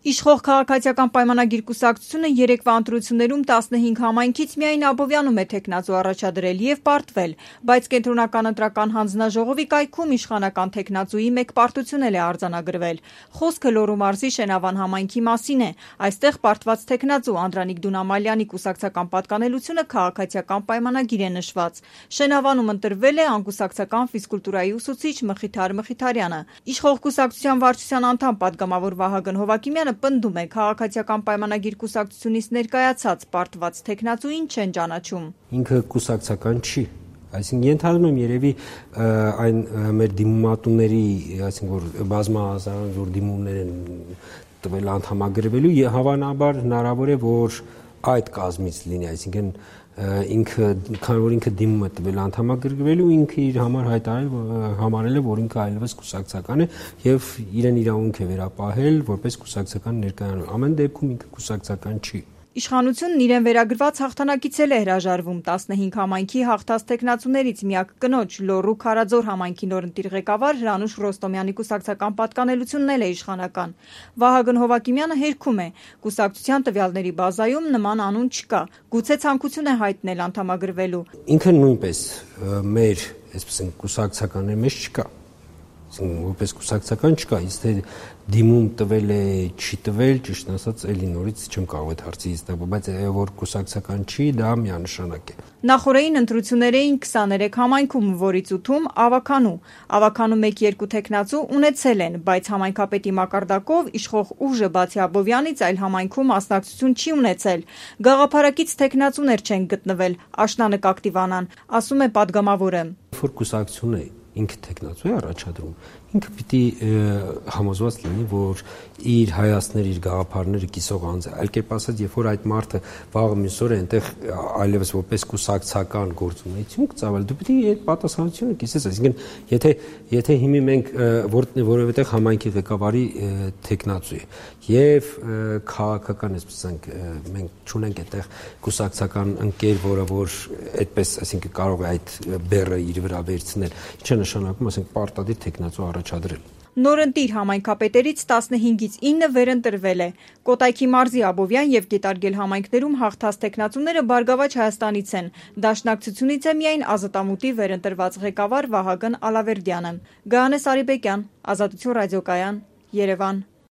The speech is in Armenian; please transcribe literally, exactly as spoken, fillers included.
Իշխող քաղաքացիական պայմանագիր կուսակցությունը երեկվա ընտրություններում տասնհինգ համայնքից միայն Աբովյանում է թեկնածու առաջադրել և պարտվել, բայց Կենտրոնական ընտրական հանձնաժողովի կայքում իշխանական թեկնածուի մեկ պարտություն էլ է արձանագրվել։ Խոսքը Լոռու մարզի Շենավան համայնքի մասին է։ Այստեղ պարտված թեկնածու Անդրանիկ Դունամալյանի կուսակցական պատկանելությունը քաղաքացիական պայմանագիր է նշված։ Շենավանում ընտրվել է անկուսակցական ֆիզկուլտուրայի ուսուցիչ Մխիթար Մխիթարյանը։ Իշխող կուսակցության վարչության անդամ պատգամավոր Վահագն Հովհակիմյանը պնդում է, քաղաքացիական պայմանագիր կուսակցությունից ներկայացած պարտված թեկնածուին չեն ճանաչում։ Ինքը կուսակցական չի, այսինքն ենթադրում եմ երևի այն մեր դիմումատուների, այսինքն որ բազմահազար որ դիմումներ են տվել անդամագրվելու, հավանաբար հնարավոր է, որ այդ կազմից լինի, այսինքն ինքը, քանի որ ինքը դիմում է տվել անդամագրվելու, ինքը իր համար հայտարարել համարել է, որ ինքը այլևս կուսակցական է եւ իրեն իրավունք է վերապահել որպես կուսակցական ներկայանալ։ Ամեն դեպքում ինքը կուսակցական չի։ Իշխանությունն իրեն վերագրված հաղթանակից էլ է հրաժարվում տասնհինգ համայնքի հաղթած թեկնածուներից միակ կնոջ Լոռու Քարաձոր համայնքի նորընտիր ղեկավար Հրանուշ Ռոստոմյանի կուսակցական պատկանելությունն էլ է իշխանական։ Վահագն Հովհակիմյանը հերքում է, կուսակցության տվյալների բազայում նման անուն չկա, գուցե ցանկություն է հայտնել անդամագրվելու։ Ինքը նույնպես մեր, այսպես են, կուսակցական է, մեզ չկա։ Որպես կուսակցական չկա, իսկ թե դիմում տվել է, չի տվել, ճիշտ ասած, էլի նորից չեմ կարող այդ հարցից տալ, բայց որ կուսակցական չի, դա միանշանակ է։ Նախորդային ընտրություններ էին քսաներեք համայնքում, որից ութում ավականու։ Ավականու մեկ-երկու թեկնածու ունեցել են, բայց համայնքապետի մակարդակով իշխող ուժը բացի Աբովյանից այլ համայնքում մասնակցություն չի ունեցել։ Գաղափարակից թեկնածուներ չեն գտնվել, աշնանը կակտիվանան, ասում է պատգամավորը։ Որ կուսակցություն է ինքը թեկնածու է առաջադրում, ինքը պիտի համոզված լինի, որ իր հայացքները, իր գաղափարները կիսող անձ է։ Այլ կերպ ասած, երբ որ այդ մարդը վաղը մյուս օրը այնտեղ այլևս որպես կուսակցական գործունեություն կծավալ, դու պիտի այդ պատասխանատվությունը կիսես։ Այսինքն, եթե եթե հիմի մենք որևէտեղ համայնքի ղեկավարի թեկնածու է եւ քաղաքական, այսպես ասենք, մենք չունենք այդտեղ կուսակցական ընկեր, որը որ այդպես, այսինքն կարող է այդ բեռը իր վրա վերցնել, ինչը նշանակում, ասենք, պարտադիր թեկնածու առաջադրել։ Նորընտիր համայնքապետերից տասնհինգից ինը վերընտրվել է։ Կոտայքի մարզի Աբովյան եւ Գետարգել համայնքներում հաղթած թեկնածուները Բարգավաճ Հայաստանից են։ Դաշնակցությունից է միայն Ազատամուտի վերընտրված ղեկավար Վահագն Ալավերդյանը։ Գայանե Սարիբեկյան, Ազատություն ռադիոկայան, Երևան։